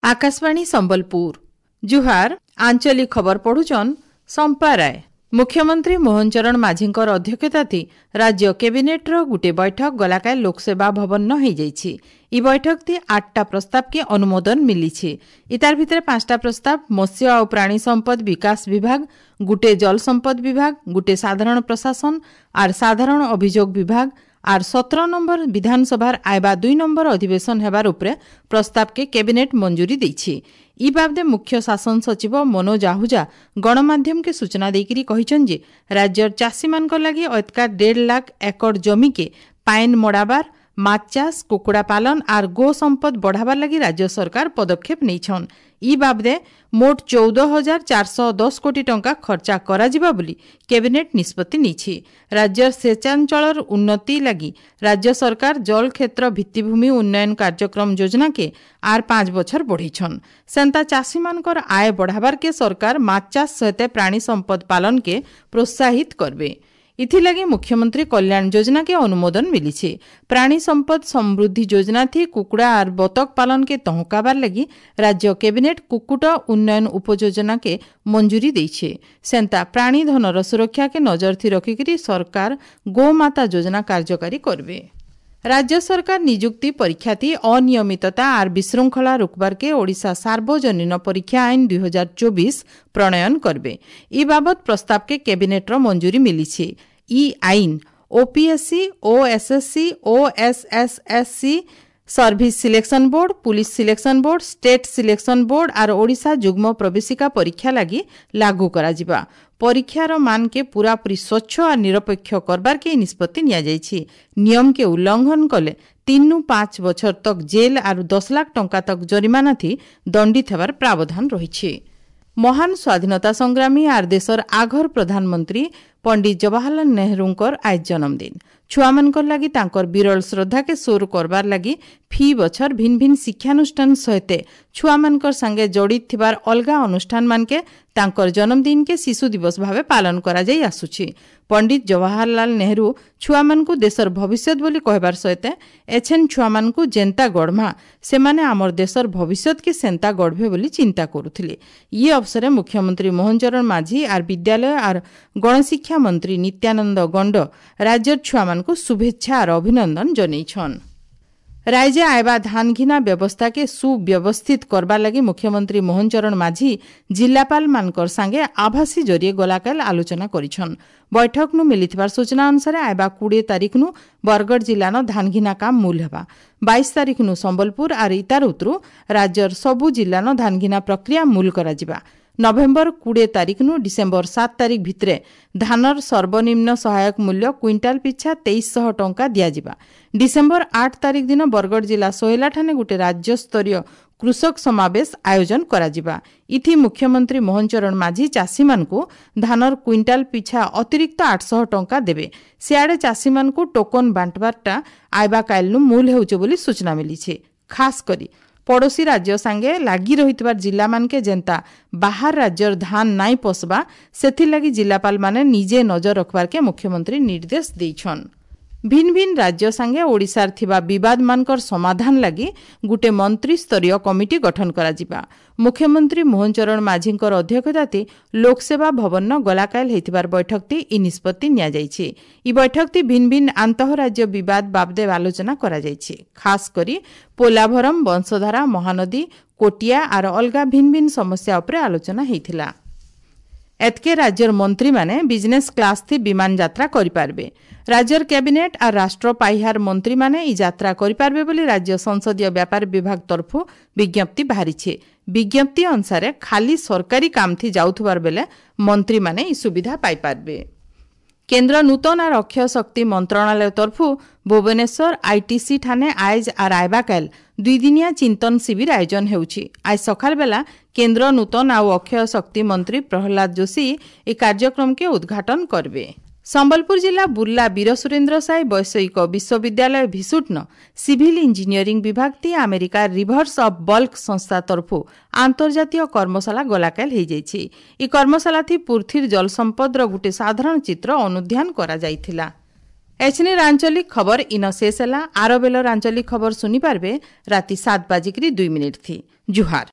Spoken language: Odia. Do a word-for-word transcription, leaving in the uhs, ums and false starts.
ଆକାଶବାଣୀ ସମ୍ବଲପୁର ଜୁହାର ଆଞ୍ଚଳିକ ଖବର ପଢୁଛନ୍ ସମ୍ପା ରାୟ ମୁଖ୍ୟମନ୍ତ୍ରୀ ମୋହନ ଚରଣ ମାଝୀଙ୍କର ଅଧ୍ୟକ୍ଷତାଥି ରାଜ୍ୟ କ୍ୟାବିନେଟ୍ର ଗୁଟେ ବୈଠକ ଗଲାକାଲି ଲୋକସେବା ଭବନ ହେଇଯାଇଛି ଇ ବୈଠକଥି ଆଠଟା ପ୍ରସ୍ତାବକେ ଅନୁମୋଦନ ମିଲିଛି ଇତାର ଭିତରେ ପାଞ୍ଚଟା ପ୍ରସ୍ତାବ ମତ୍ସ୍ୟ ଆଉ ପ୍ରାଣୀ ସମ୍ପଦ ବିକାଶ ବିଭାଗ ଗୁଟେ ଜଳ ସମ୍ପଦ ବିଭାଗ ଗୁଟେ ସାଧାରଣ ପ୍ରଶାସନ ଆର୍ ସାଧାରଣ ଅଭିଯୋଗ ବିଭାଗ ଆର୍ ସତର ନମ୍ବର ବିଧାନସଭାର ଆଇବା ଦୁଇ ନମ୍ବର ଅଧିବେଶନ ହେବାର ଉପରେ ପ୍ରସ୍ତାବକେ କ୍ୟାବିନେଟ୍ ମଞ୍ଜୁରୀ ଦେଇଛି ଇ ବାବଦେ ମୁଖ୍ୟ ଶାସନ ସଚିବ ମନୋଜ ଆହୁଜା ଗଣମାଧ୍ୟମକେ ସୂଚନା ଦେଇକରି କହିଛନ୍ତି ଯେ ରାଜ୍ୟର ଚାଷୀମାନଙ୍କ ଲାଗି ଅତକା ଦେଢ଼ ଲାଖ ଏକର ଜମିକେ ପାଏନ୍ ମଡ଼ାବାର ମାଛ ଚାଷ କୁକୁଡ଼ା ପାଲନ ଆର୍ ଗୋ ସମ୍ପଦ ବଢ଼ାବାର ଲାଗି ରାଜ୍ୟ ସରକାର ପଦକ୍ଷେପ ନେଇଛନ୍ ଇ ବାବଦେ ମୋଟ ଚଉଦ ହଜାର ଚାରିଶହ ଦଶ କୋଟି ଟଙ୍କା ଖର୍ଚ୍ଚା କରାଯିବା ବୋଲି କ୍ୟାବିନେଟ୍ ନିଷ୍ପତ୍ତି ନେଇଛି ରାଜ୍ୟର ସେଚାଞ୍ଚଳର ଉନ୍ନତି ଲାଗି ରାଜ୍ୟ ସରକାର ଜଳ କ୍ଷେତ୍ର ଭିତ୍ତିଭୂମି ଉନ୍ନୟନ କାର୍ଯ୍ୟକ୍ରମ ଯୋଜନାକେ ଆର୍ ପାଞ୍ଚ ବଛର ବଢ଼େଇଛନ୍ ସେନ୍ତା ଚାଷୀମାନଙ୍କର ଆୟ ବଢ଼ାବାରକେ ସରକାର ମାଛ ଚାଷ ସହିତ ପ୍ରାଣୀ ସମ୍ପଦ ପାଲନକେ ପ୍ରୋତ୍ସାହିତ କରବେ ଇଥିଲାଗି ମୁଖ୍ୟମନ୍ତ୍ରୀ କଲ୍ୟାଣ ଯୋଜନାକେ ଅନୁମୋଦନ ମିଲିଛି ପ୍ରାଣୀ ସମ୍ପଦ ସମୃଦ୍ଧି ଯୋଜନା ଥି କୁକୁଡ଼ା ଆର୍ ବତକ ପାଲନକେ ତହକାବାର ଲାଗି ରାଜ୍ୟ କ୍ୟାବିନେଟ୍ କୁକୁଟ ଉନ୍ନୟନ ଉପଯୋଜନାକେ ମଞ୍ଜୁରୀ ଦେଇছে ସେନ୍ତା ପ୍ରାଣୀଧନର ସୁରକ୍ଷାକେ ନଜର ଥି ରଖିକରି ସରକାର ଗୋମାତା ଯୋଜନା କାର୍ଯ୍ୟକାରୀ କରିବେ ରାଜ୍ୟ ସରକାର ନିଯୁକ୍ତି ପରୀକ୍ଷାଥି ଅନିୟମିତତା ଆର୍ ବିଶୃଙ୍ଖଳା ରୋକବାରକେ ଓଡ଼ିଶା ସାର୍ବଜନୀନ ପରୀକ୍ଷା ଆଇନ ଦୁଇ ହଜାର ଚବିଶ ପ୍ରଣୟନ କରିବେ ଇ ବାବଦ ପ୍ରସ୍ତାବକେ କ୍ୟାବିନେଟ୍ର ମଞ୍ଜୁରୀ ମିଲିଛି ଇ ଆଇନ OPSC OSSC OSSSC service selection board police selection board state selection board ଆର୍ ଓଡ଼ିଶା ଯୁଗ୍ମ ପ୍ରବେଶିକା ପରୀକ୍ଷା ଲାଗି ଲାଗୁ କରାଯିବା ପରୀକ୍ଷାର ମାନକେ ପୂରାପୂରି ସ୍ୱଚ୍ଛ ଆର୍ ନିରପେକ୍ଷ କରବାରକେ ଏହି ନିଷ୍ପତ୍ତି ନିଆଯାଇଛି ନିୟମକେ ଉଲ୍ଲଂଘନ କଲେ ତିନରୁ ପାଞ୍ଚ ବଛର ତକ ଜେଲ୍ ଆରୁ ଦଶ ଲାଖ ଟଙ୍କା ତକ ଜରିମାନା ଥି ଦଣ୍ଡିତ ହେବାର ପ୍ରାବଧାନ ରହିଛି ମହାନ ସ୍ୱାଧୀନତା ସଂଗ୍ରାମୀ ଆର୍ ଦେଶର ଆଘର ପ୍ରଧାନମନ୍ତ୍ରୀ ପଣ୍ଡିତ ଜବାହରଲାଲ ନେହେରୁଙ୍କର ଆଜ୍ ଜନ୍ମଦିନ ଛୁଆମାନଙ୍କର ଲାଗି ତାଙ୍କର ବିରଳ ଶ୍ରଦ୍ଧାକେ ସୋର କରବାର ଲାଗି ଫି ବଛର ଭିନ୍ ଭିନ୍ ଶିକ୍ଷାନୁଷ୍ଠାନ ସହିତ ଛୁଆମାନଙ୍କର ସାଙ୍ଗେ ଜଡ଼ିତ ଥିବାର ଅଲଗା ଅନୁଷ୍ଠାନମାନକେ ତାଙ୍କର ଜନ୍ମଦିନକେ ଶିଶୁ ଦିବସ ଭାବେ ପାଳନ କରାଯାଇ ଆସୁଛି ପଣ୍ଡିତ ଜବାହରଲାଲ ନେହେରୁ ଛୁଆମାନଙ୍କୁ ଦେଶର ଭବିଷ୍ୟତ ବୋଲି କହିବାର ସହିତ ଏଛେନ୍ ଛୁଆମାନଙ୍କୁ ଯେନ୍ତା ଗଢ଼ମା ସେମାନେ ଆମର ଦେଶର ଭବିଷ୍ୟତକେ ସେନ୍ତା ଗଢ଼ବେ ବୋଲି ଚିନ୍ତା କରୁଥିଲେ ଇ ଅବସରେ ମୁଖ୍ୟମନ୍ତ୍ରୀ ମୋହନ ଚରଣ ମାଝୀ ଆର୍ ବିଦ୍ୟାଳୟ ଆର୍ ଗଣଶିକ୍ଷା ମନ୍ତ୍ରୀ ନିତ୍ୟାନନ୍ଦ ଗଣ୍ଡ ରାଜ୍ୟର ଛୁଆମାନଙ୍କୁ ଶୁଭେଚ୍ଛା ଆର୍ ଅଭିନନ୍ଦନ ଜନେଇଛନ୍ ରାଜ୍ୟ ଆଇବା ଧାନ ଘିନା ବ୍ୟବସ୍ଥାକେ ସୁବ୍ୟବସ୍ଥିତ କରବାର ଲାଗି ମୁଖ୍ୟମନ୍ତ୍ରୀ ମୋହନ ଚରଣ ମାଝୀ ଜିଲ୍ଲାପାଳମାନଙ୍କର ସାଙ୍ଗେ ଆଭାସୀ ଜରିଏ ଗଲାକାଲ ଆଲୋଚନା କରିଛନ୍ ବୈଠକନୁ ମିଳିଥିବାର ସୂଚନା ଅନୁସାରେ ଆଇବା କୋଡ଼ିଏ ତାରିଖନୁ ବରଗଡ଼ ଜିଲ୍ଲାନ ଧାନ ଘିନା କାମ ମୂଲ ହେବା ବାଇଶ ତାରିଖନୁ ସମ୍ବଲପୁର ଆର୍ ଇତାର ଉତରୁ ରାଜ୍ୟର ସବୁ ଜିଲ୍ଲାନ ଧାନ ଘିନା ପ୍ରକ୍ରିୟା ମୂଲ କରାଯିବା ନଭେମ୍ବର କୋଡ଼ିଏ ତାରିଖନୁ ଡିସେମ୍ବର ସାତ ତାରିଖ ଭିତରେ ଧାନର ସର୍ବନିମ୍ନ ସହାୟକ ମୂଲ୍ୟ କୁଇଣ୍ଟାଲ ପିଛା ତେଇଶଶହ ଟଙ୍କା ଦିଆଯିବା ଡିସେମ୍ବର ଆଠ ତାରିଖ ଦିନ ବରଗଡ଼ ଜିଲ୍ଲା ସୋହେଲାଠାନେ ଗୋଟେ ରାଜ୍ୟସ୍ତରୀୟ କୃଷକ ସମାବେଶ ଆୟୋଜନ କରାଯିବା ଇଥି ମୁଖ୍ୟମନ୍ତ୍ରୀ ମୋହନ ଚରଣ ମାଝୀ ଚାଷୀମାନଙ୍କୁ ଧାନର କୁଇଣ୍ଟାଲ ପିଛା ଅତିରିକ୍ତ ଆଠଶହ ଟଙ୍କା ଦେବେ ସିଆଡ଼େ ଚାଷୀମାନଙ୍କୁ ଟୋକନ ବାଣ୍ଟବାରଟା ଆଇବା କାଇଲନୁ ମୂଲ ହେଉଛି ବୋଲି ସୂଚନା ମିଳିଛି ଖାସ କରି ପଡ଼ୋଶୀ ରାଜ୍ୟ ସାଙ୍ଗେ ଲାଗି ରହିଥିବା ଜିଲ୍ଲାମାନକେ ଯେନ୍ତା ବାହାର ରାଜ୍ୟର ଧାନ ନାଇଁ ପଶବା ସେଥିର୍ଲାଗି ଜିଲ୍ଲାପାଳମାନେ ନିଜେ ନଜର ରଖବାରକେ ମୁଖ୍ୟମନ୍ତ୍ରୀ ନିର୍ଦ୍ଦେଶ ଦେଇଛନ୍ ଭିନ୍ ଭିନ୍ ରାଜ୍ୟ ସାଙ୍ଗେ ଓଡ଼ିଶାର ଥିବା ବିବାଦମାନଙ୍କର ସମାଧାନ ଲାଗି ଗୁଟେ ମନ୍ତ୍ରୀସ୍ତରୀୟ କମିଟି ଗଠନ କରାଯିବା ମୁଖ୍ୟମନ୍ତ୍ରୀ ମୋହନ ଚରଣ ମାଝୀଙ୍କର ଅଧ୍ୟକ୍ଷତାଥି ଲୋକସେବା ଭବନ ଗଲାକାଲ ହେଇଥିବାର ବୈଠକଟି ଇ ନିଷ୍ପତ୍ତି ନିଆଯାଇଛି ଇ ବୈଠକଟି ଭିନ୍ ଭିନ୍ ଆନ୍ତଃରାଜ୍ୟ ବିବାଦ ବାବଦେ ଆଲୋଚନା କରାଯାଇଛି ଖାସ କରି ପୋଲାଭରମ ବଂଶଧାରା ମହାନଦୀ କୋଟିଆ ଆର ଅଲଗା ଭିନ୍ ଭିନ୍ ସମସ୍ୟା ଉପରେ ଆଲୋଚନା ହେଇଥିଲା ଏତ୍କେ ରାଜ୍ୟର ମନ୍ତ୍ରୀମାନେ ବିଜନେସ୍ କ୍ଲାସ୍ ଥି ବିମାନ ଯାତ୍ରା କରିପାରିବେ ରାଜ୍ୟର କ୍ୟାବିନେଟ୍ ଆର୍ ରାଷ୍ଟ୍ର ପାହ୍ୟାର ମନ୍ତ୍ରୀମାନେ ଇ ଯାତ୍ରା କରିପାରିବେ ବୋଲି ରାଜ୍ୟ ସଂସଦୀୟ ବ୍ୟାପାର ବିଭାଗ ତରଫରୁ ବିଜ୍ଞପ୍ତି ବାହାରିଛି ବିଜ୍ଞପ୍ତି ଅନୁସାରେ ଖାଲି ସରକାରୀ କାମଥି ଯାଉଥିବାର ବେଲେ ମନ୍ତ୍ରୀମାନେ ଇ ସୁବିଧା ପାଇପାରିବେ କେନ୍ଦ୍ର ନୂତନ ଆର୍ ଅକ୍ଷୟ ଶକ୍ତି ମନ୍ତ୍ରଣାଳୟ ତରଫରୁ ଭୁବନେଶ୍ୱର ଆଇଟିସି ଠାନେ ଆଏଜ୍ ଆର୍ ଆଇବାକାଲ ଦୁଇଦିନିଆ ଚିନ୍ତନ ଶିବିର ଆୟୋଜନ ହେଉଛି ଆজ ସକାଳ ବେଲା କେନ୍ଦ୍ର ନୂତନ ଆଉ ଅକ୍ଷୟ ଶକ୍ତି ମନ୍ତ୍ରୀ ପ୍ରହ୍ଲାଦ ଯୋଶୀ ଏହି କାର୍ଯ୍ୟକ୍ରମକେ ଉଦ୍ଘାଟନ କରିବେ ସମ୍ବଲପୁର ଜିଲ୍ଲା ବୁର୍ଲା ବୀର ସୁରେନ୍ଦ୍ର ସାଏ ବୈଷୟିକ ବିଶ୍ୱବିଦ୍ୟାଳୟ ଭିସୁଟ୍ନ ସିଭିଲ ଇଞ୍ଜିନିୟରିଂ ବିଭାଗ ତି ଆମେରିକା ରିଭର୍ସ ଅଫ୍ ବଲ୍କ ସଂସ୍ଥା ତରଫରୁ ଆନ୍ତର୍ଜାତୀୟ କର୍ମଶାଳା ଗଲାକାଲ ହେଇଯାଇଛି ଇ କର୍ମଶାଳା ଥି ପୃଥିବୀର ଜଳସମ୍ପଦର ଗୋଟେ ସାଧାରଣ ଚିତ୍ର ଅନୁଧ୍ୟାନ କରାଯାଇଥିଲା ଏଛିନିର ଆଞ୍ଚଳିକ ଖବର ଇନ ଶେଷ ହେଲା ଆର ବେଲର ଆଞ୍ଚଳିକ ଖବର ଶୁଣିପାରିବେ ରାତି ସାତ ବାଜିକିରି ଦୁଇ ମିନିଟ୍ ଥି ଜୁହାର